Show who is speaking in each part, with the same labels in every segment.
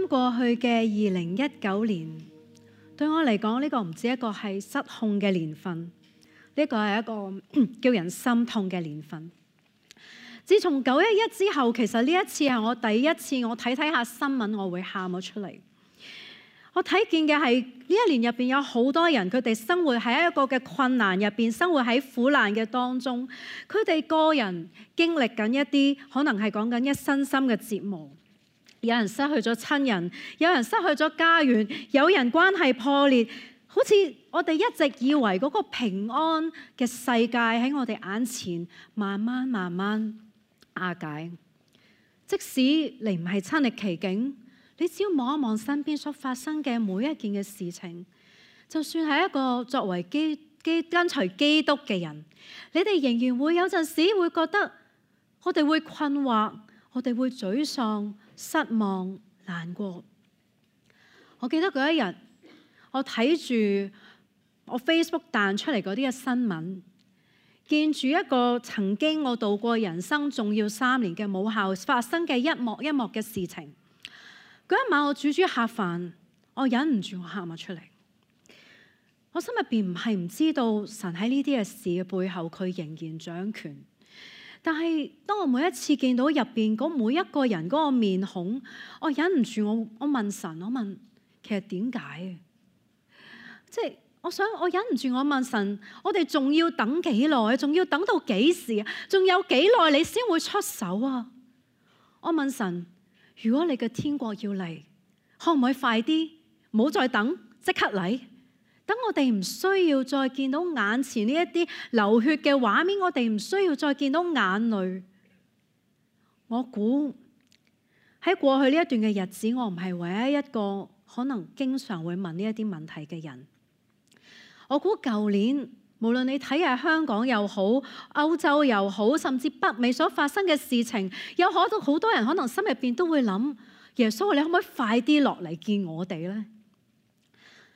Speaker 1: 啱過去嘅2019年，對我嚟講，呢個唔止一個係失控嘅年份，呢個係一個叫人心痛嘅年份。自從911之後，其實呢一次係我第一次我睇下新聞，我會喊咗出嚟。我睇見嘅係呢一年入邊有好多人，佢哋生活喺一個嘅困難入邊，生活喺苦難嘅當中，佢哋個人經歷緊一啲可能係講緊一身心嘅折磨。有人失去咗親人，有人失去咗家園，有人關係破裂，好似我哋一直以為嗰個平安嘅世界喺我哋眼前慢慢瓦解。即使你唔係親歷其境，你只要望一望身邊所發生嘅每一件嘅事情，就算係一個作為跟隨基督嘅人，你哋仍然會有陣時會覺得我哋會困惑，我哋會沮喪、失望、難過。我記得嗰一日，我睇住我 Facebook 彈出嚟嗰啲嘅新聞，見住一個曾經我度過人生重要3年嘅母校發生嘅一幕嘅事情。嗰一晚我煮客飯，我忍唔住我喊咗出嚟。我心入邊唔係唔知道神喺呢啲嘅事嘅背後，佢仍然掌權。但係當我每一次見到入邊嗰每一個人嗰個面孔，我忍唔住我問神，我問其實點解？即係我忍唔住我問神，我哋仲要等幾耐？仲要等到幾時啊？仲有幾耐你先會出手啊？我問神，如果你嘅天國要嚟，可唔可以快啲？唔好再等，即刻嚟。等我哋唔需要再見到眼前呢一啲流血嘅畫面，我哋唔需要再見到眼淚。我估喺過去呢一段嘅日子，我唔係唯一一個可能經常會問呢一啲問題嘅人。我估舊年無論你睇下香港又好，歐洲又好，甚至北美所發生嘅事情，有好多人可能心入邊都會諗：耶穌，你可唔可以快啲落嚟見我哋呢？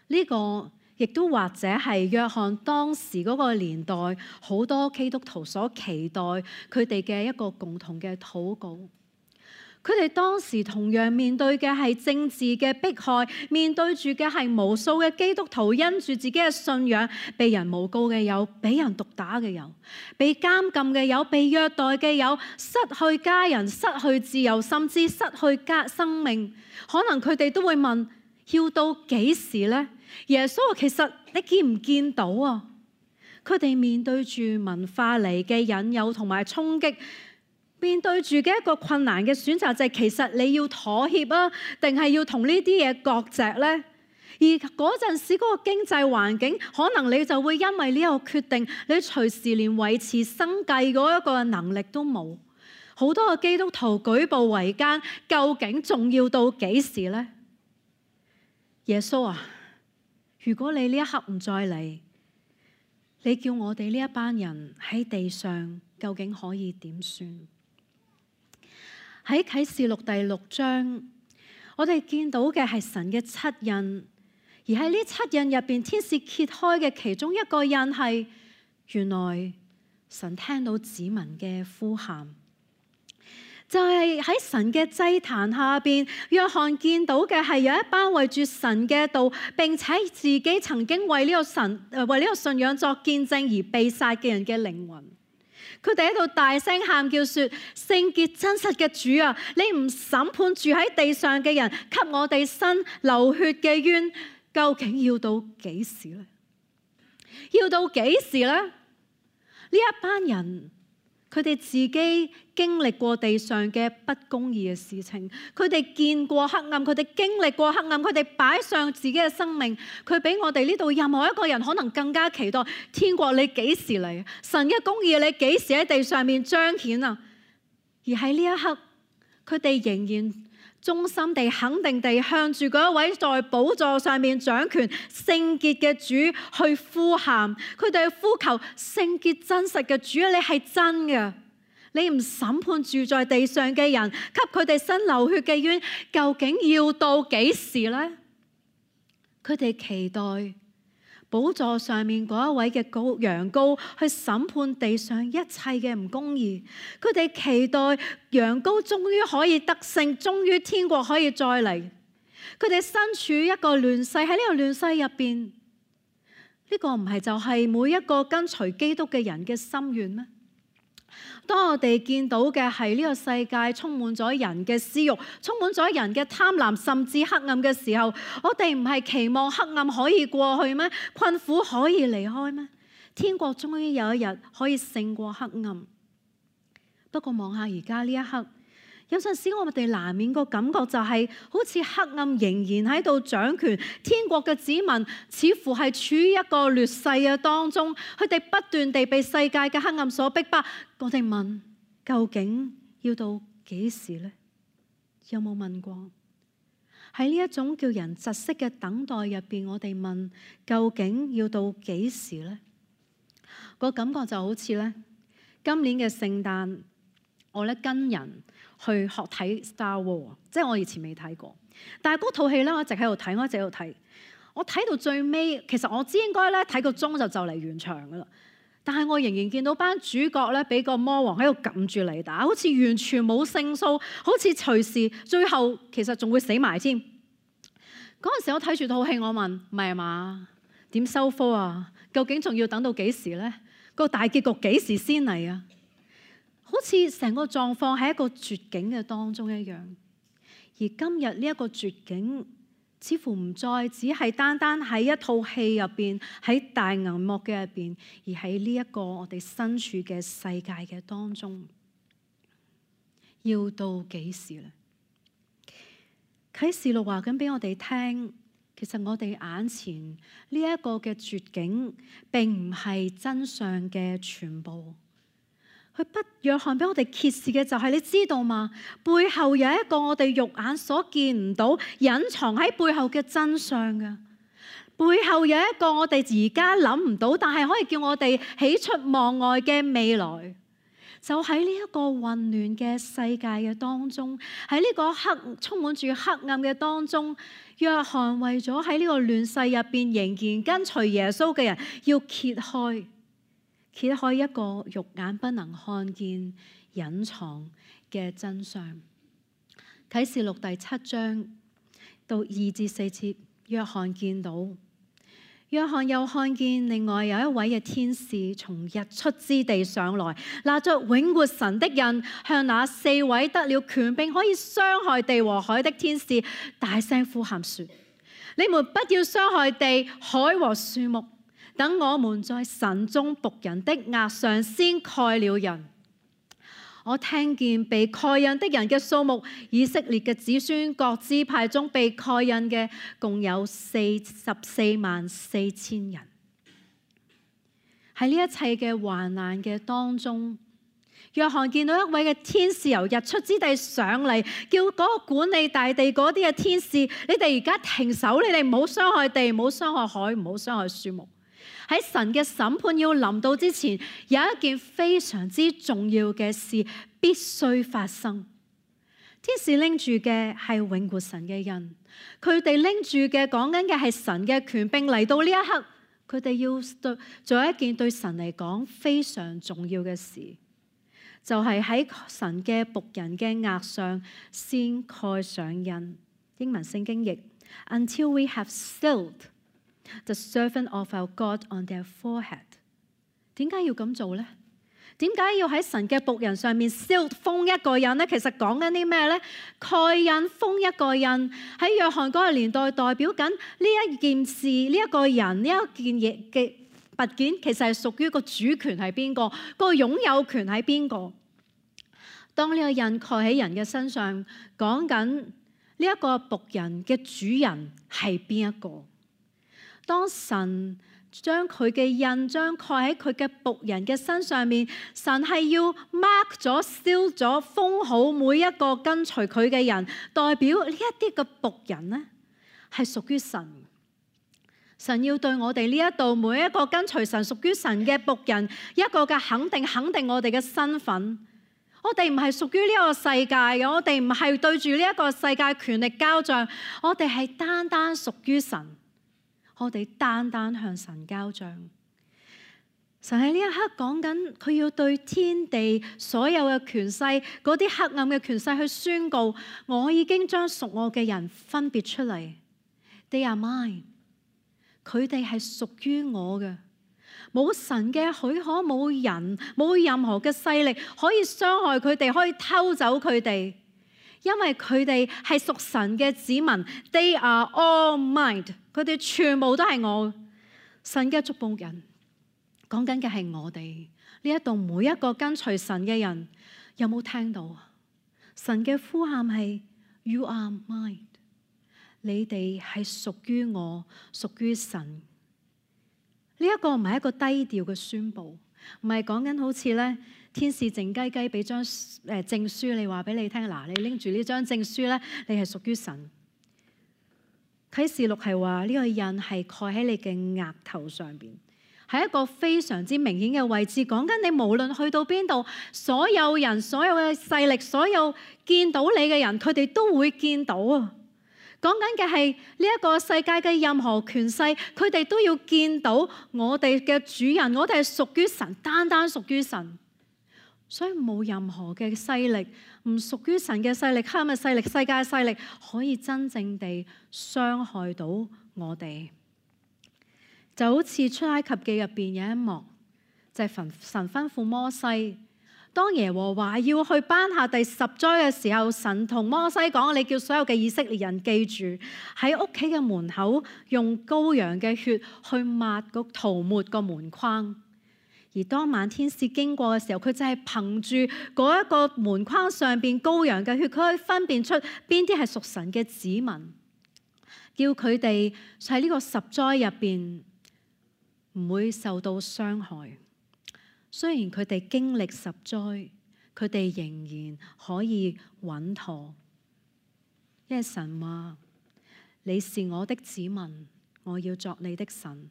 Speaker 1: 呢個亦都或者係約翰當時嗰個年代好多基督徒所期待佢哋嘅一個共同嘅禱告。佢哋當時同樣面對嘅係政治嘅迫害，面對住嘅係無數嘅基督徒因住自己嘅信仰被人誣告嘅有，被人毒打嘅有，被監禁嘅有，被虐待嘅有，失去家人、失去自由，甚至失去生命。可能佢哋都會問：要到幾時呢？耶穌，其實你見唔見到啊？佢哋面對住文化嚟嘅引誘同埋衝擊，面對住嘅一個困難嘅選擇就係，其實你要妥協啊，定係要同呢啲嘢割席呢？而嗰陣時嗰個經濟環境，可能你就會因為呢個決定，你隨時連維持生計嗰一個能力都冇。好多嘅基督徒舉步維艱，究竟仲要到幾時呢？耶穌啊，如果你呢一刻唔再嚟，你叫我哋呢一班人喺地上究竟可以點算？喺啟示錄第6章，我哋見到嘅係神嘅7印，而喺呢7印入邊，天使揭開嘅其中一個印係，原來神聽到子民嘅呼喊。就係喺神嘅祭壇下邊，約翰見到嘅係有一班為住神嘅道，並且自己曾經為呢個信仰作見證而被殺嘅人嘅靈魂。佢哋喺度大聲喊叫說：聖潔真實嘅主啊，你唔審判住喺地上嘅人，給我哋伸流血嘅冤，究竟要到幾時呢？要到幾時呢？呢一班人，佢哋自己經歷過地上嘅不公義嘅事情，佢哋見過黑暗，佢哋經歷過黑暗，佢哋擺上自己嘅生命，佢比我哋呢度任何一個人可能更加期待天國你幾時嚟？神嘅公義你幾時喺地上面彰顯啊？而喺呢一刻，佢哋仍然忠心地、肯定地向住嗰一位在寶座上面掌權聖潔嘅主去呼喊，佢哋去呼求聖潔真實嘅主啊！你係真嘅，你唔審判住在地上嘅人，給佢哋伸流血嘅冤，究竟要到幾時呢？佢哋期待寶座上面嗰一位嘅羊羔去審判地上一切嘅唔公義，佢哋期待羊羔終於可以得勝，終於天國可以再嚟。佢哋身處一個亂世，喺呢個亂世入邊，呢個唔係就係每一個跟隨基督嘅人嘅心願咩？當我哋見到嘅係呢個世界充滿咗人嘅私欲，充滿咗人嘅貪婪，甚至黑暗嘅時候，我哋唔係期望黑暗可以過去咩？困苦可以離開咩？天國終於有一日可以勝過黑暗。不過望下而家呢一刻，有陣時我哋難免個感覺就係好似黑暗仍然喺度掌權，天國嘅子民似乎係處於一個劣勢嘅當中，佢哋不斷地被世界嘅黑暗所逼迫。我哋問，究竟要到幾時呢？有冇問過？喺呢一種叫人窒息嘅等待入邊，我哋問，究竟要到幾時呢？個感覺就好似咧，今年嘅聖誕，我咧跟人去學睇 Star Wars， 即係我以前未睇過，但係嗰套戲咧，我一直喺度睇，我睇到最尾，其實我知應該咧睇個鐘就嚟完場噶啦，但係我仍然見到班主角咧俾個魔王喺度撳住嚟打，好似完全冇勝數，好似隨時最後其實仲會死埋添。嗰陣時我睇住套戲，我問，唔係嘛？點收科啊？究竟仲要等到幾時呢？個大結局幾時先嚟啊？好似成個狀況喺一個絕境嘅當中一樣。而今日呢一個絕境，似乎唔再只係單單喺一套戲入邊，喺大銀幕嘅入邊，而喺呢一個我哋身處嘅世界嘅當中，要到幾時呢？啟示錄話緊俾我哋聽。其實我哋眼前呢一個嘅絕境，並唔係真相嘅全部。約翰俾我哋揭示嘅就係，你知道嗎？背後有一個我哋肉眼所見唔到、隱藏喺背後嘅真相嘅。背後有一個我哋而家諗唔到，但係可以叫我哋喜出望外嘅未來。就喺呢一個混亂嘅世界嘅當中，喺呢個充滿住黑暗嘅當中，約翰為咗喺呢個亂世入邊仍然跟隨耶穌嘅人，要揭開一個肉眼不能看見、隱藏嘅真相。啟示錄第7章到2至4節，約翰見到。約翰又看見另外有一位嘅天使從日出之地上來，拿着永活神的印，向那4位得了權柄可以傷害地和海的天使大聲呼喊說：你們不要傷害地、海和樹木，等我們在神中僕人的額上先蓋了印。我聽見被蓋印的人嘅數目，以色列嘅子孫各支派中被蓋印嘅共有444000人。喺呢一切嘅患難嘅當中，約翰見到一位嘅天使由日出之地上嚟，叫嗰個管理大地嗰啲嘅天使，你哋而家停手，你哋唔好傷害地，唔好傷害海，唔好傷害樹木。喺神嘅審判要臨到之前，有一件非常之重要嘅事必須發生。天使拎住嘅係永活神嘅印，佢哋拎住嘅講緊嘅係神嘅權柄。嚟到呢一刻，佢哋要做一件對神嚟講非常重要嘅事，就係喺神嘅僕人嘅額上先蓋上印。英文聖經譯 Until we have sealed the servant of our God on their forehead。 點解要咁做呢？點解要喺神嘅僕人上面 seal 封一個印呢？其實講緊啲咩呢？蓋印封一個印喺約翰嗰個年代，代表緊呢一件事、呢一個人、呢一件嘢嘅物件，其實係屬於個主權係邊個，個擁有權係邊個。當呢個印蓋喺人嘅身上，講緊呢一個僕人嘅主人係邊一個。當神將佢嘅印將蓋喺佢嘅僕人嘅身上面，神係要 mark 咗、seal 咗、封好每一個跟隨佢嘅人，代表呢一啲嘅僕人呢係屬於神。神要對我哋呢一度每一個跟隨神、屬於神嘅僕人一個嘅肯定我哋嘅身份。我哋唔係屬於呢個世界嘅，我哋唔係對住呢一個世界權力交賬，我哋係單單屬於神。我哋單單向神交賬。神喺呢一刻講緊，佢要對天地所有嘅權勢，嗰啲黑暗嘅權勢去宣告：我已經將屬我嘅人分別出嚟。They are mine，佢哋係屬於我嘅，冇神嘅許可，冇人，冇任何嘅勢力可以傷害佢哋，可以偷走佢哋，因為佢哋係屬神嘅子民。They are all mine，佢哋全部都係我神嘅祝福人。講緊嘅係我哋呢一度每一個跟隨神嘅人，有冇聽到？神嘅呼喊係 You are mine， 你哋係屬於我，屬於神。呢一個唔係一個低調嘅宣佈，唔係講緊好似咧天使靜雞雞俾張證書你話俾你聽，嗱，你拎住呢張證書咧，你係屬於神。啟示錄係話呢個印係蓋喺你嘅額頭上邊。係一個非常之明顯嘅位置，講緊你無論去到邊度，所有人、所有嘅勢力、所有見到你嘅人，佢哋都會見到啊！講緊嘅係呢一個世界嘅任何權勢，佢哋都要見到我哋嘅主人，我哋係屬於神，單單屬於神，所以冇任何嘅勢力唔屬於神嘅勢力、黑暗嘅勢力、世界嘅勢力，可以真正地傷害到我哋。就好似出埃及記入邊有一幕，就係神吩咐摩西，當耶和華要去頒下第10災嘅時候，神同摩西講：你叫所有嘅以色列人記住，喺屋企嘅門口用羔羊嘅血去塗抹個門框。而當晚天使經過嘅時候，佢就係憑住嗰一個門框上邊羔羊嘅血，佢可以分辨出邊啲係屬神嘅子民，叫佢哋喺呢個10災入邊唔會受到傷害。雖然佢哋經歷10災，佢哋仍然可以穩妥，因為神話你是我的子民，我要作你的神。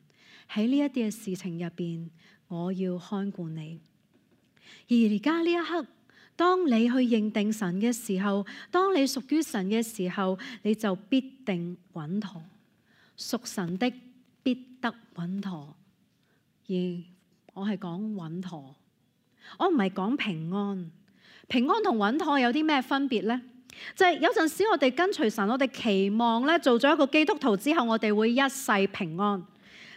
Speaker 1: 喺呢一啲嘅事情入邊，我要看顧你。而而家呢一刻，當你去認定神嘅時候，當你屬於神嘅時候，你就必定穩妥。屬神的必得穩妥。而我係講穩妥，我唔係講平安。平安同穩妥有啲咩分別呢？就係有陣時我哋跟隨神，我哋期望咧做咗一個基督徒之後，我哋會一世平安。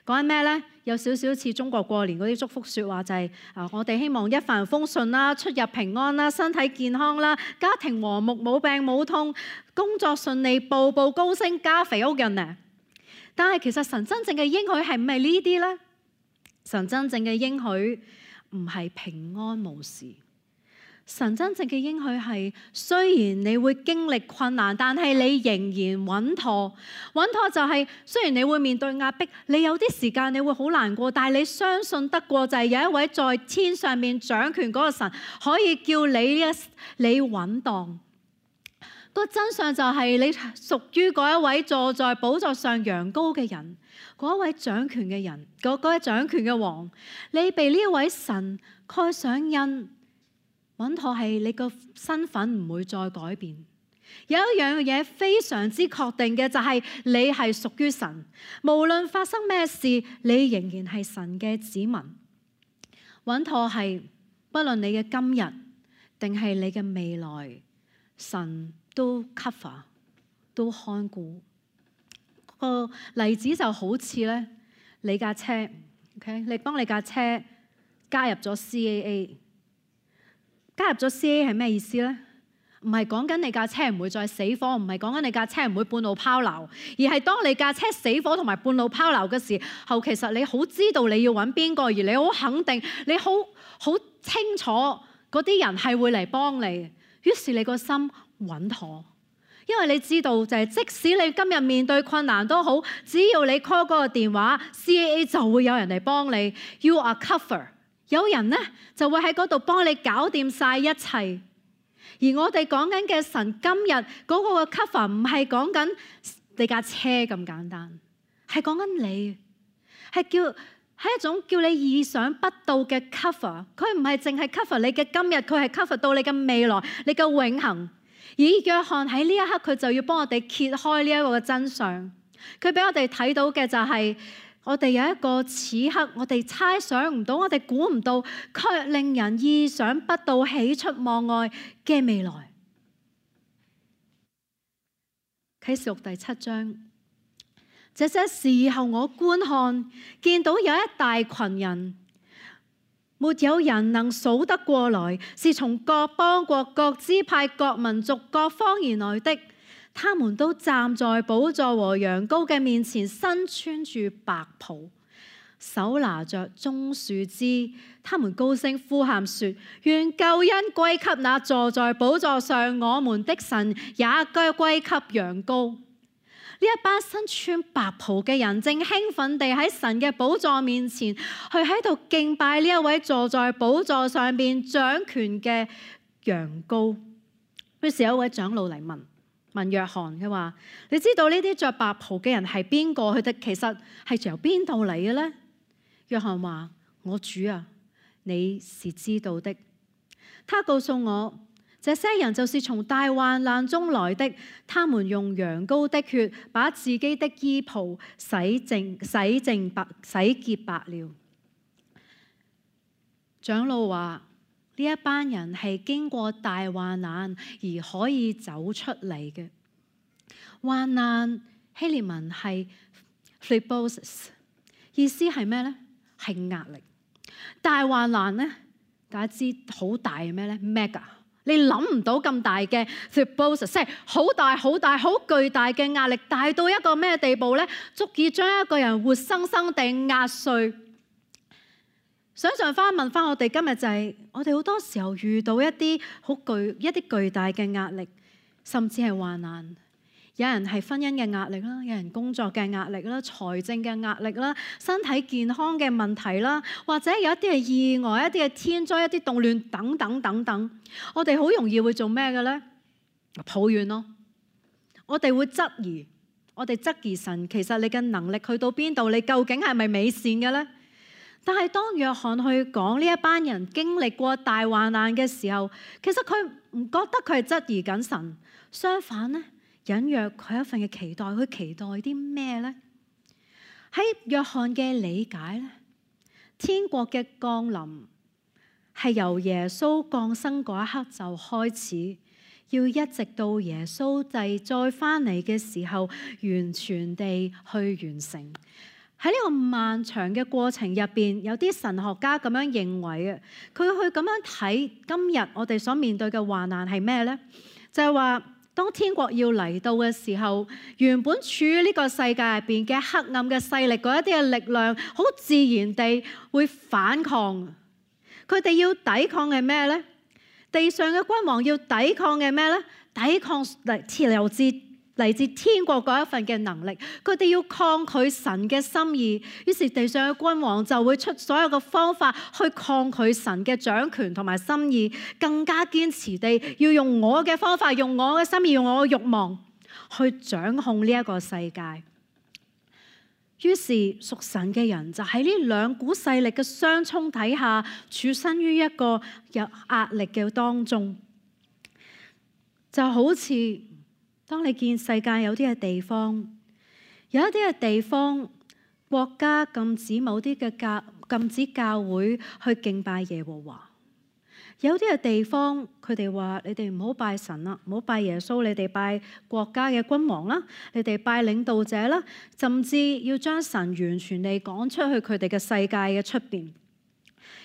Speaker 1: 講緊咩呢？有少少似中國過年嗰啲祝福説話，就係我哋希望一帆風順啦，出入平安啦，身體健康啦，家庭和睦，冇病冇痛，工作順利，步步高升，家肥屋潤呢。但係其實神真正嘅應許係唔係呢啲呢？神真正嘅應許唔係平安無事。神真正嘅應許係，雖然你會經歷困難，但係你仍然穩妥。穩妥就係，雖然你會面對壓迫，你有啲時間你會好難過，但係你相信得過，就係有一位在天上面掌權嗰個神，可以叫你穩當。個真相就係，你屬於嗰一位坐在寶座上羊羔嘅人，嗰一位掌權嘅人，嗰位掌權嘅王，你被呢一位神蓋上印。穩妥係你個身份唔會再改變。有一樣嘢非常之確定嘅，就係你係屬於神，無論發生咩事，你仍然係神嘅子民。穩妥係不論你嘅今日定係你嘅未來，神都 cover 都看顧。個例子就好似咧，你架車 ，OK， 你幫你架車加入咗 CAA。加入咗 CAA 係咩意思呢？唔係講緊你架車唔會再死火，唔係講緊你架車唔會半路拋錨，而係當你架車死火同埋半路拋錨嘅時候，其實你好知道你要揾邊個，而你好肯定，你好清楚嗰啲人係會嚟幫你，於是你個心穩妥，因為你知道就係即使你今日面對困難都好，只要你 call 嗰個電話 ，CAA 就會有人嚟幫你。You are covered。有人呢就會喺嗰度幫你搞掂晒一切，而我哋講緊嘅神今日嗰個嘅 cover 唔係講緊你架車咁簡單，係講緊你，係一種叫你意想不到嘅 cover。佢唔係淨係 cover 你嘅今日，佢係 cover 到你嘅未來，你嘅永恆。而約翰喺呢一刻佢就要幫我哋揭開呢一個嘅真相，佢俾我哋睇到嘅就係我哋有一個此刻我哋猜想唔到，我哋估唔到，卻令人意想不到、喜出望外嘅未來。啟示錄第7章，這些時候我觀看，見到有一大群人，沒有人能數得過來，是從各邦國、各支派、各民族、各方而來的。他們都站在寶座和羊羔嘅面前，身穿住白袍，手拿着棕樹枝。他們高聲呼喊說：願救恩歸給那坐在寶座上我們的神，也歸給羊羔。呢一班身穿白袍嘅人正興奮地喺神嘅寶座面前，去喺度敬拜呢一位坐在寶座上面掌權嘅羊羔。於是有一位長老嚟問約翰，佢話：你知道呢啲着白袍嘅人係邊個？佢哋其實係由邊度嚟嘅呢？約翰話：我主啊，你是知道的。他告訴我，這些人就是從大患難中來的，他們用羊羔的血把自己的衣袍洗潔白了。長老話：呢一班人係經過大患難而可以走出嚟嘅。患難希臘文係 phlebios， 意思係咩呢？係壓力。大患難呢，大家知好大係咩呢？ mega， 你諗唔到咁大嘅 phlebios， 即係好大好大好巨大嘅壓力，大到一個咩地步呢？足以將一個人活生生地壓碎。想象翻問翻我哋今日就係，我哋好多時候遇到一啲巨大嘅壓力，甚至係患難。有人係婚姻嘅壓力啦，有人工作嘅壓力啦，財政嘅壓力啦，身體健康嘅問題啦，或者有一啲係意外、一啲係天災、一啲動亂等等等等。我哋好容易會做咩嘅咧？抱怨咯。我哋會質疑神，其實你嘅能力去到邊度？你究竟係咪美善嘅咧？但係當約翰去講呢一班人經歷過大患難嘅時候，其實佢唔覺得佢係質疑緊神，相反呢，隱約佢一份嘅期待。佢期待啲咩呢？喺約翰嘅理解呢，天國嘅降臨係由耶穌降生嗰一刻就開始，要一直到耶穌再翻嚟嘅時候，完全地去完成。喺呢個漫長嘅過程入邊，有啲神學家咁樣認為嘅，佢去咁樣睇今日我哋所面對嘅患難係咩呢？就係話，當天國要嚟到嘅時候，原本處於呢個世界入邊嘅黑暗嘅勢力嗰一啲嘅力量，好自然地會反抗。佢哋要抵抗嘅咩呢？地上嘅君王要抵抗嘅咩呢？抵抗嚟自天國嗰一份嘅能力，佢哋要抗拒神嘅心意，於是地上嘅君王就會出所有嘅方法去抗拒神嘅掌權同埋心意，更加堅持地要用我嘅方法、用我嘅心意、用我嘅慾望去掌控呢一個世界。於是屬神嘅人就喺呢兩股勢力嘅相衝底下，處身於一個有壓力嘅當中，就好似當你見世界有啲嘅地方，有一啲嘅地方國家禁止某啲嘅禁止教會去敬拜耶和華，有啲嘅地方佢哋話你哋唔好拜神啦，唔好拜耶穌，你哋拜國家嘅君王啦，你哋拜領導者啦，甚至要將神完全地趕出去佢哋嘅世界嘅出邊。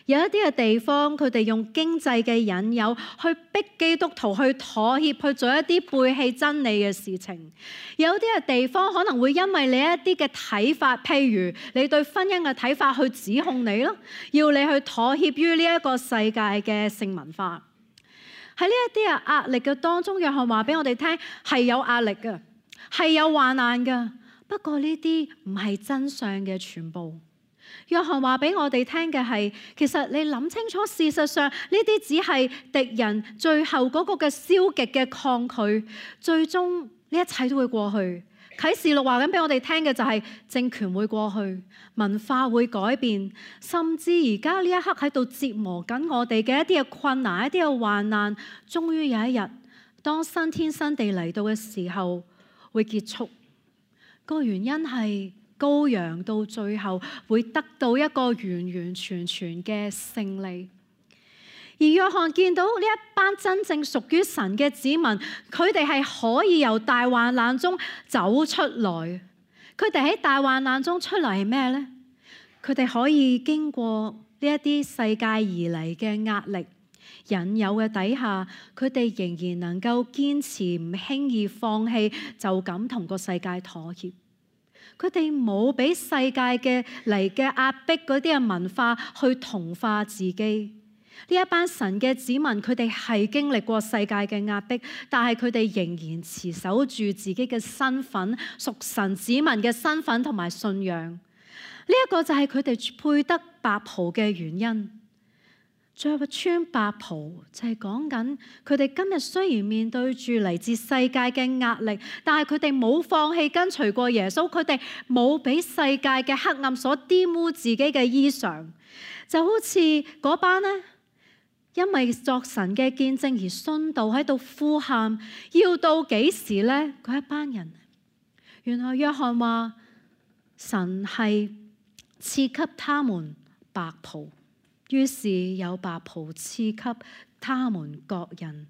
Speaker 1: 有一啲嘅地方，佢哋用經濟嘅引誘去逼基督徒去妥協，去做一啲背棄真理嘅事情。有啲嘅地方可能會因為你一啲嘅睇法，譬如你對婚姻嘅睇法去指控你咯，要你去妥協於呢一個世界嘅性文化。喺呢一啲嘅壓力嘅當中，約翰話俾我哋聽係有壓力嘅，係有患難嘅。不過呢啲唔係真相嘅全部。約翰話俾我哋聽嘅係，其實你諗清楚，事實上呢啲只係敵人最後嗰個嘅消極嘅抗拒，最終呢一切都會過去。啟示錄話緊俾我哋聽嘅就係政權會過去，文化會改變，甚至而家呢一刻喺度折磨緊我哋嘅一啲嘅困難、一啲嘅患難，終於有一日，當新天新地嚟到嘅時候會結束。個原因係羔羊到最後會得到一個完完全全嘅勝利。而約翰見到呢一班真正屬於神嘅子民，佢哋係可以由大患難中走出來。佢哋喺大患難中出嚟係咩呢？佢哋可以經過呢一啲世界而嚟嘅壓力、引誘嘅底下，佢哋仍然能夠堅持，唔輕易放棄，就咁同個世界妥協。佢哋冇俾世界嘅嚟嘅壓迫嗰啲嘅文化去同化自己。呢一班神嘅子民，佢哋係經歷過世界嘅壓迫，但係佢哋仍然持守住自己嘅身份，屬神子民嘅身份同埋信仰。呢一個就係佢哋配得白袍嘅原因。着穿白袍就係講緊佢哋今日雖然面對住嚟自世界嘅壓力，但係佢哋冇放棄跟隨過耶穌，佢哋冇俾世界嘅黑暗所玷污自己嘅衣裳。就好似嗰班呢，因為作神嘅見證而殉道喺度呼喊，要到幾時呢？嗰一班人，原來約翰話神係賜給他們白袍，於是有白袍賜給他們各人。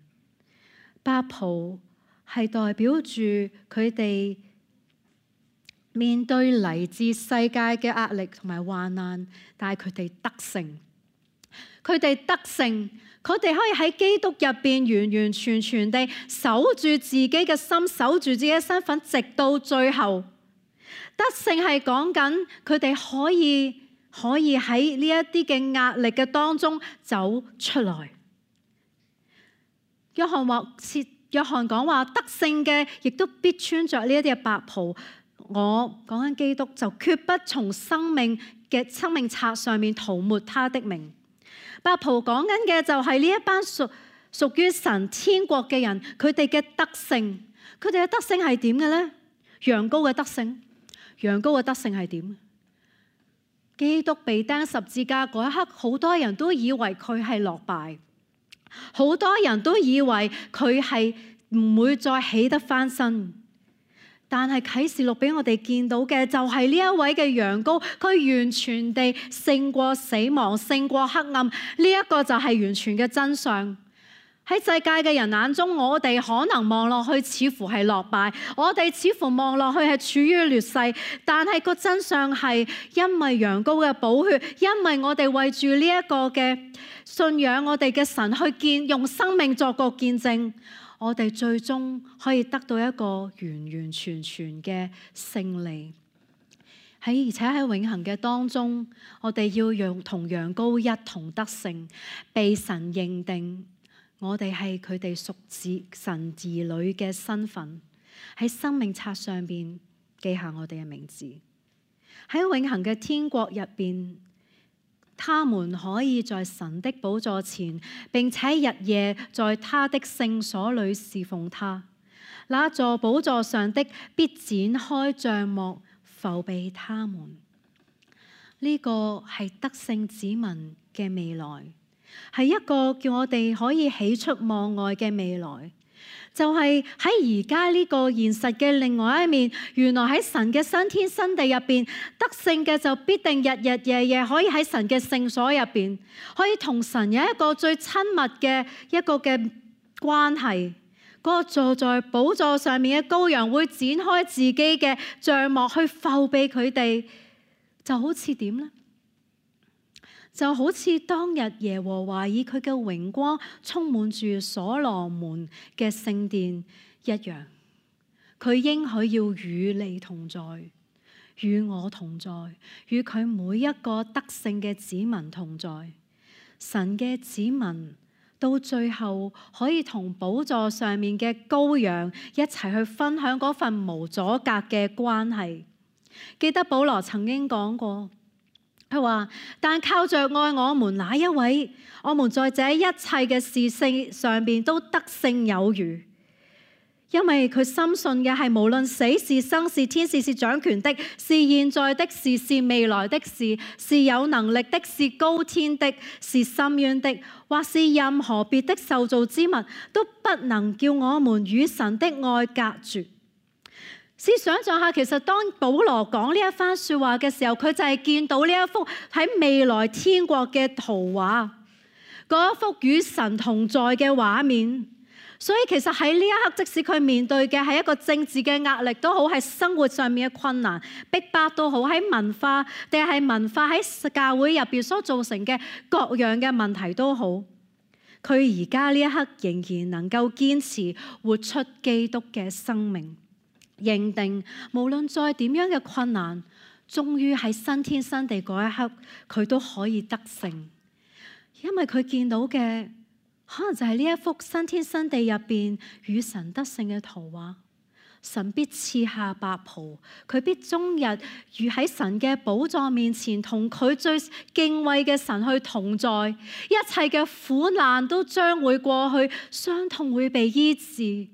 Speaker 1: 白袍係代表住佢哋面對嚟自世界嘅壓力同埋患難，但係佢哋得勝。佢哋得勝，佢哋可以喺基督入邊完完全全地守住自己嘅心，守住自己嘅身份，直到最後。得勝係講緊佢哋可以喺呢一啲嘅壓力嘅當中走出來。約翰講話得勝嘅亦都必穿着呢一啲嘅白袍。我講緊基督就決不從生命冊上面塗抹他的名。白袍講緊嘅就係呢一班屬於神天國嘅人，佢哋嘅得勝。佢哋嘅得勝係點嘅呢？羊羔嘅得勝。羊羔嘅得勝係點？基督被釘十字架嗰一刻，好多人都以為佢係落敗，好多人都以為佢係唔會再起得翻身。但係啟示錄俾我哋見到嘅就係呢一位嘅羊羔，佢完全地勝過死亡，勝過黑暗。呢一個就係完全嘅真相。喺世界嘅人眼中，我哋可能望落去似乎係落敗，我哋似乎望落去係處於劣勢，但係個真相係因為羊羔嘅寶血，因為我哋為住呢一個嘅信仰，我哋嘅神去用生命作個見證，我哋最終可以得到一個完完全全嘅勝利。而且喺永恆嘅當中，我哋要同羊羔一同得勝，被神認定我哋係佢哋屬神兒女嘅身份，喺生命冊上邊記下我哋嘅名字。喺永恆嘅天國入邊，他們可以在神的寶座前，並且日夜在他的聖所裏侍奉他。那座寶座上的必展開帳幕，覆庇他們。呢個係得勝子民嘅未來，係一個叫我哋可以喜出望外嘅未來。就係喺而家呢個現實嘅另外一面，原來喺神嘅新天新地入邊，得勝嘅就必定日日夜夜可以喺神嘅聖所入邊，可以同神有一個最親密嘅一個嘅關係。嗰個坐在寶座上面嘅羔羊會展開自己嘅帳幕去覆庇佢哋，就好似點呢？就好似當日耶和華以佢嘅榮光充滿住所羅門嘅聖殿一樣，佢應許要與你同在，與我同在，與佢每一個得勝嘅子民同在。神嘅子民到最後可以同寶座上面嘅羔羊一齊去分享嗰份無阻隔嘅關係。記得保羅曾經講過，佢話：但靠着愛我們那一位，我們在這一切嘅事性上邊都得勝有餘。因為佢深信嘅係無論死是生是天使是掌權的，是現在的事是未來的事，是有能力的，是高天的，是深淵的，或是任何別的受造之物，都不能叫我們與神的愛隔絕。試想像下，其實當保羅講呢一番説話嘅時候，佢就係見到呢一幅喺未來天國嘅圖畫，嗰一幅與神同在嘅畫面。所以其實喺呢一刻，即使佢面對嘅係一個政治嘅壓力都好，係生活上面嘅困難、逼迫都好，喺文化喺教會入邊所造成嘅各樣嘅問題都好，佢而家呢一刻仍然能夠堅持活出基督嘅生命，認定無論再點樣嘅困難，終於喺新天新地嗰一刻，佢都可以得勝，因為佢見到嘅可能就係呢一幅新天新地入邊與神得勝嘅圖畫。神必賜下白袍，佢必終日如喺神嘅寶座面前，同佢最敬畏嘅神去同在。一切嘅苦難都將會過去，傷痛會被醫治。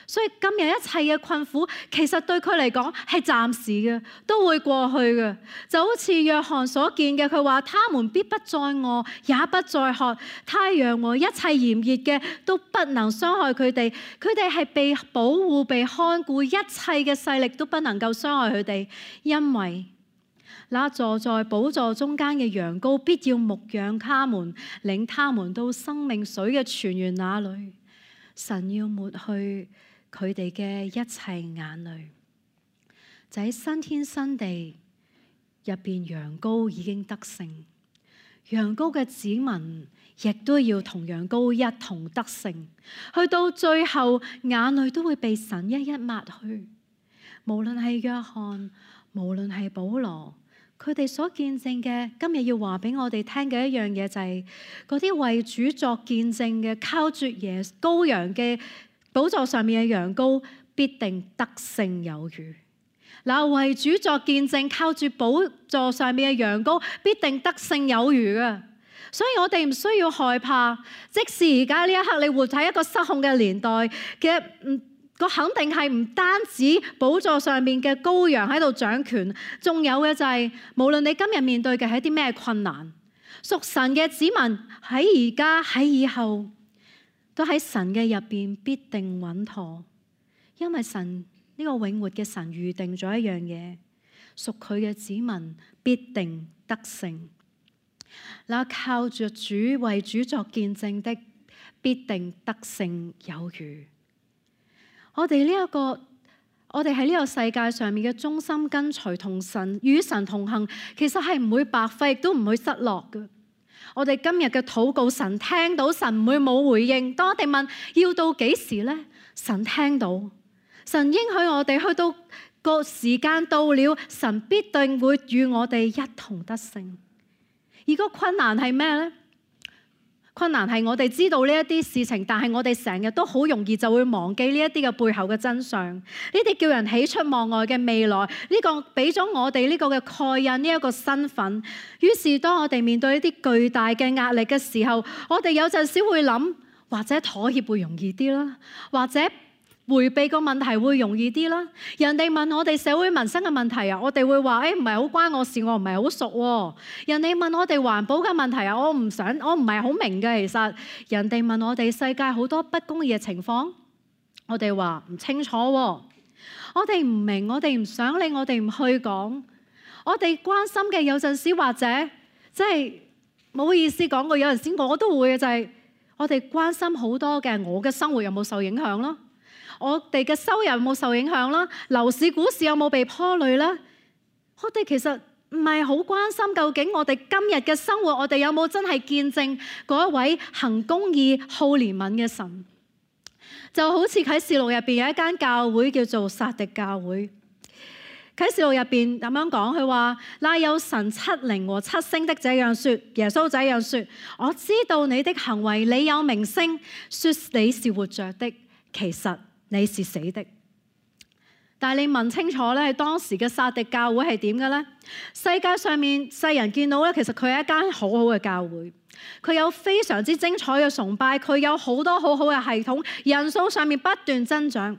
Speaker 1: 所以今日一切嘅困苦，其實對佢嚟講係暫時嘅，都會過去嘅。就好似約翰所見嘅，佢話：他們必不再餓，也不再渴。太陽和一切炎熱嘅都不能傷害佢哋。佢哋係被保護、被看顧，一切嘅勢力都不能夠傷害佢哋，因為那坐在寶座中間嘅羊羔必要牧養他們，領他們到生命水嘅泉源那裏。神要抹去佢哋嘅一切眼淚，就喺新天新地入邊，羊羔已經得勝，羊羔嘅子民亦都要同羊羔一同得勝，去到最後眼淚都會被神一一抹去。無論係約翰，無論係保羅，佢哋所見證嘅，今日要話俾我哋聽嘅一樣嘢就係嗰啲為主作見證嘅，靠住耶穌羔羊嘅寶座上面嘅羊羔必定得勝有餘。嗱，為主作見證，靠住寶座上面嘅羊羔必定得勝有餘嘅。所以我哋唔需要害怕，即使而家呢一刻你活喺一個失控嘅年代嘅，個肯定係唔單止寶座上面嘅羔羊喺度掌權，仲有嘅就係無論你今日面對嘅係一啲咩困難，屬神嘅子民喺而家喺以後，都喺神嘅入邊必定穩妥，因為神呢個永活嘅神預定咗一樣嘢，屬佢嘅子民必定得勝。那靠着主為主作見證的，必定得勝有餘。我哋喺呢個世界上面嘅忠心跟隨同神與神同行，其實係唔會白費，亦都唔會失落嘅。我哋今日嘅禱告，神聽到，神唔會冇回應。當我哋問要到幾時呢？神聽到，神應許我哋去到個時間到了，神必定會與我哋一同得勝。而個困難係咩呢？困難係我哋知道呢一啲事情，但係我哋成日都好容易就會忘記呢一啲嘅背後嘅真相。呢啲叫人喜出望外嘅未來，呢個俾咗我哋呢個嘅蓋印，呢一個身份。於是當我哋面對一啲巨大嘅壓力嘅時候，我哋有陣時會諗，或者妥協會容易啲啦，或者迴避個問題會容易啲啦。人哋問我哋社會民生嘅問題啊，我哋會話唔係好關我事，我唔係好熟喎。人哋問我哋環保嘅問題啊，我唔係好明嘅。其實人哋問我哋世界好多不公義嘅情況，我哋話唔清楚喎。我哋唔明，我哋唔想理，我哋唔去講。我哋關心嘅有陣時或者即係冇好意思講過，有陣時我都會嘅，就係我哋關心好多嘅，我嘅生活有冇受影響咯？我哋嘅收入有冇受影響啦？樓市股市有冇被拖累啦？我哋其實唔係好關心究竟我哋今日嘅生活，我哋有冇真係見證嗰一位行公義、好憐憫嘅神？就好似啟示錄入邊有一間教會叫做撒狄教會。啟示錄入邊咁樣講，佢話：那有神七靈和七星的這樣說，耶穌這樣說，我知道你的行為，你有名聲，說你是活着的，其實你是死的。但係你問清楚咧，當時嘅撒狄教會係點嘅咧？世界上面世人見到咧，其實佢係一間好好嘅教會，佢有非常之精彩嘅崇拜，佢有好多好好嘅系統，人數上面不斷增長。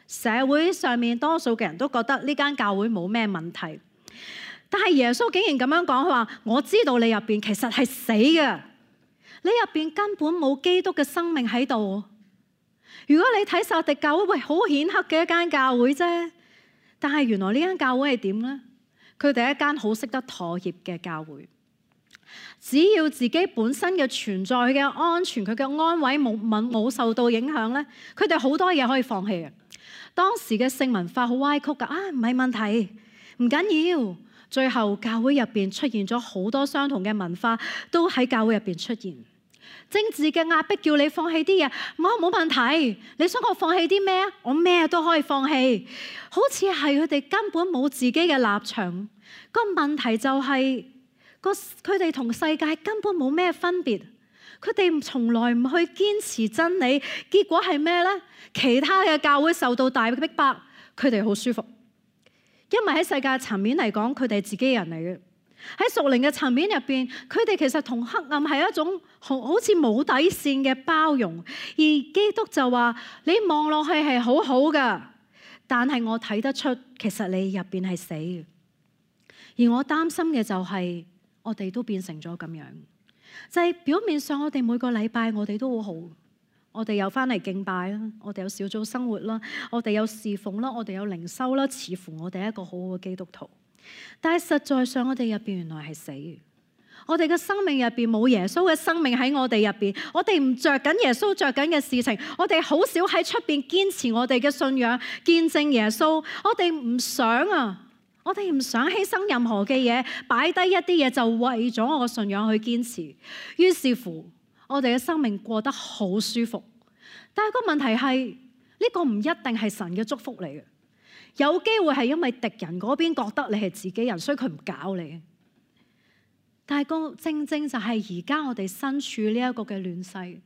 Speaker 1: 社會上面多數嘅人都覺得呢間教會冇咩問題，但係耶穌竟然咁樣講，佢話：我知道你入邊其實係死嘅，你入邊根本冇基督嘅生命喺度。如果你睇撒狄教會，喂，好顯赫嘅一間教會啫，但係原來呢間教會係點呢？佢哋係一間好識得妥協嘅教會。只要自己本身嘅存在嘅安全，佢嘅安危冇受到影響咧，佢哋好多嘢可以放棄嘅。當時嘅性文化好歪曲噶，唔係問題，唔緊要。最後教會入邊出現咗好多相同嘅文化，都喺教會入邊出現。政治嘅壓迫叫你放棄啲嘢，冇問題。你想我放棄啲咩啊？我咩都可以放棄。好似係佢哋根本冇自己嘅立場。個問題就係佢哋同世界根本冇咩分別。佢哋從來唔去堅持真理，結果係咩呢？其他嘅教會受到大逼迫，佢哋好舒服。因為喺世界層面嚟講，佢哋係自己人嚟嘅。喺屬靈嘅層面入邊，佢哋其實同黑暗係一種好似冇底線嘅包容。而基督就話：你望落去係好好噶，但係我睇得出，其實你入邊係死嘅。而我擔心嘅就係，我哋都變成咗咁樣，就係表面上我哋每個禮拜我哋都好好。我哋有翻嚟敬拜啦，我哋有小組生活啦，我哋有侍奉啦，我哋有靈修啦，似乎我哋係一個好好嘅基督徒。但係實在上，我哋入邊原來係死嘅。我哋嘅生命入邊冇耶穌嘅生命喺我哋入邊，我哋唔着緊耶穌着緊嘅事情，我哋好少喺出邊堅持我哋嘅信仰，見證耶穌。我哋唔想啊，我哋唔想犧牲任何嘅嘢，擺低一啲嘢就為咗我嘅信仰去堅持。於是乎，我哋嘅生命過得好舒服，但係個問題係呢個唔一定係神嘅祝福嚟嘅，有機會係因為敵人嗰邊覺得你係自己人，所以佢唔搞你。但係正正就係而家我哋身處呢一個嘅亂世，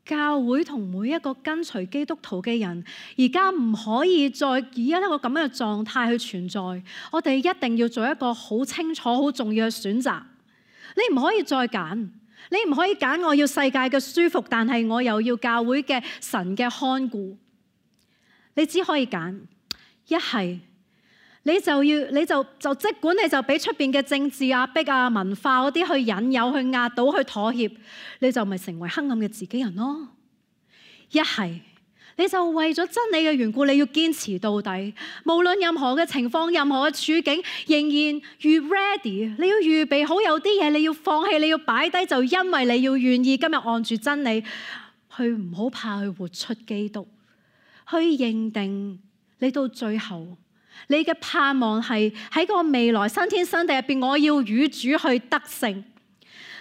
Speaker 1: 教會同每一個跟隨基督徒嘅人，而家唔可以再以一個咁樣嘅狀態去存在。我哋一定要做一個好清楚、好重要嘅選擇。你唔可以再揀。你唔可以揀我要世界嘅舒服，但係我又要教會嘅神嘅看顧。你只可以揀，一係你就即管你就俾出邊嘅政治壓迫啊、文化嗰啲去引誘、去壓倒、去妥協，你就咪成為黑暗嘅自己人咯。一係你就為咗真理嘅緣故，你要堅持到底，無論任何嘅情況、任何嘅處境，仍然越 ready。你要預備好，有啲嘢你要放棄，你要擺低，就因為你要願意今日按住真理去，唔好怕去活出基督，去認定你到最後，你嘅盼望係喺個未來新天新地入邊，我要與主去得勝。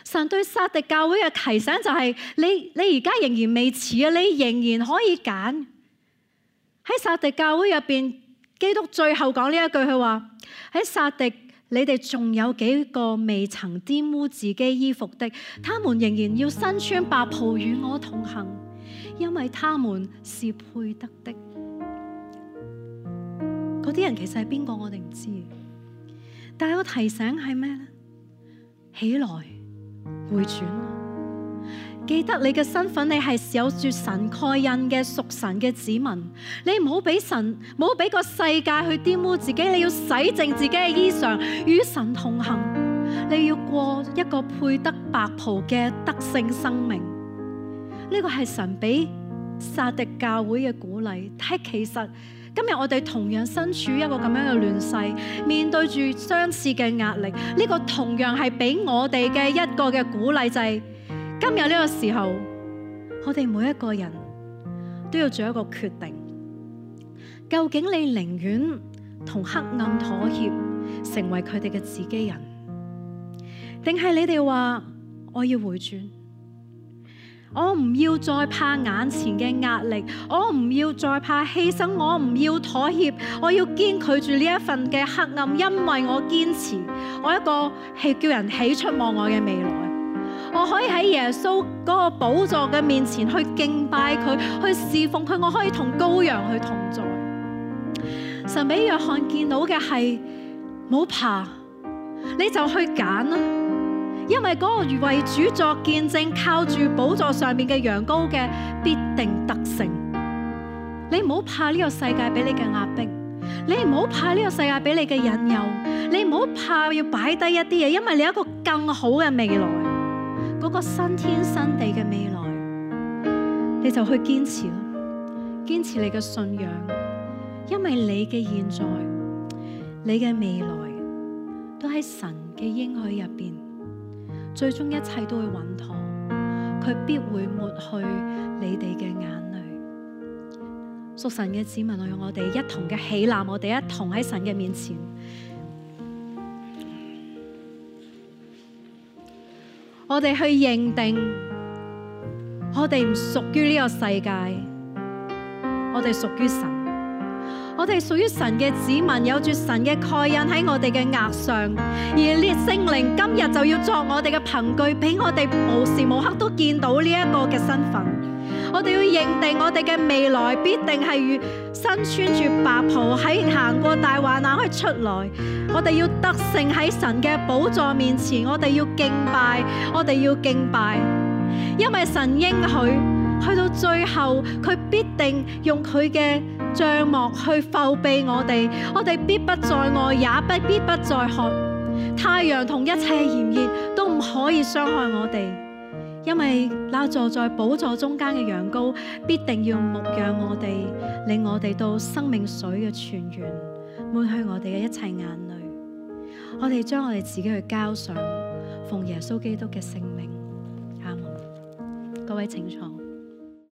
Speaker 1: 神對撒狄教會嘅提醒就係：你而家仍然未遲啊，你仍然可以揀。喺撒狄教會入邊，基督最後講呢一句，佢話：喺撒狄，你哋仲有幾個未曾玷污自己衣服的，他們仍然要身穿白袍與我同行，因為他們是配得的。嗰啲人其實係邊個？我哋唔知，但係個提醒係咩呢？起來！回轉，記得你嘅身份，你係有住神蓋印嘅屬神嘅子民。你唔好俾神，唔好俾個世界去玷污自己。你要洗淨自己嘅衣裳，與神同行。你要過一個配得白袍嘅得勝生命。呢個係神俾撒狄教會嘅鼓勵。但係其實今日我哋同樣身處一個咁樣嘅亂世，面對住相似嘅壓力，呢個同樣係俾我哋嘅一個嘅鼓勵，就係今日呢個時候，我哋每一個人都要做一個決定，究竟你寧願同黑暗妥協，成為佢哋嘅自己人，定係你哋話我要回轉？我唔要再怕眼前嘅壓力，我唔要再怕犧牲，我唔要妥協，我要堅拒住呢一份嘅黑暗，因為我堅持，我一個係叫人喜出望外嘅未來，我可以喺耶穌嗰個寶座嘅面前去敬拜佢，去侍奉佢，我可以同羔羊去同在。神俾約翰見到嘅係，唔好怕，你就去揀啦。因為嗰個為主作見證，靠住寶座上面嘅羊羔嘅，必定得勝。你唔好怕呢個世界俾你嘅壓迫，你唔好怕呢個世界俾你嘅引誘，你唔好怕要擺低一啲嘢，因為你有一個更好嘅未來，嗰個新天新地嘅未來，你就去堅持咯，堅持你嘅信仰，因為你嘅現在、你嘅未來都喺神嘅應許入邊，最終一切都會穩妥，佢必會抹去你哋嘅眼淚。屬神嘅子民，讓我哋一同嘅起立，我哋一同喺神嘅面前，我哋去認定，我哋唔屬於呢個世界，我哋屬於神，我哋屬於神嘅子民，有住神嘅蓋印喺我哋嘅額上，而呢聖靈今日就要作我哋嘅憑據，俾我哋無時無刻都見到呢一個嘅身份。我哋要認定我哋嘅未來必定係身穿住白袍，喺行過大患難可以出來。我哋要得勝喺神嘅寶座面前，我哋要敬拜，我哋要敬拜，因為神應許去到最後，佢必定用佢嘅帳幕去覆庇我哋，我哋必不再餓，也必不再渴，太陽同一切炎熱都唔可以傷害我哋。因為那坐在寶座中間嘅羊羔必定要牧養我哋，令我哋到生命水嘅泉源，抹去我哋嘅一切眼淚。我哋將我哋自己去交上，奉耶穌基督嘅聖名，阿門。各位請坐。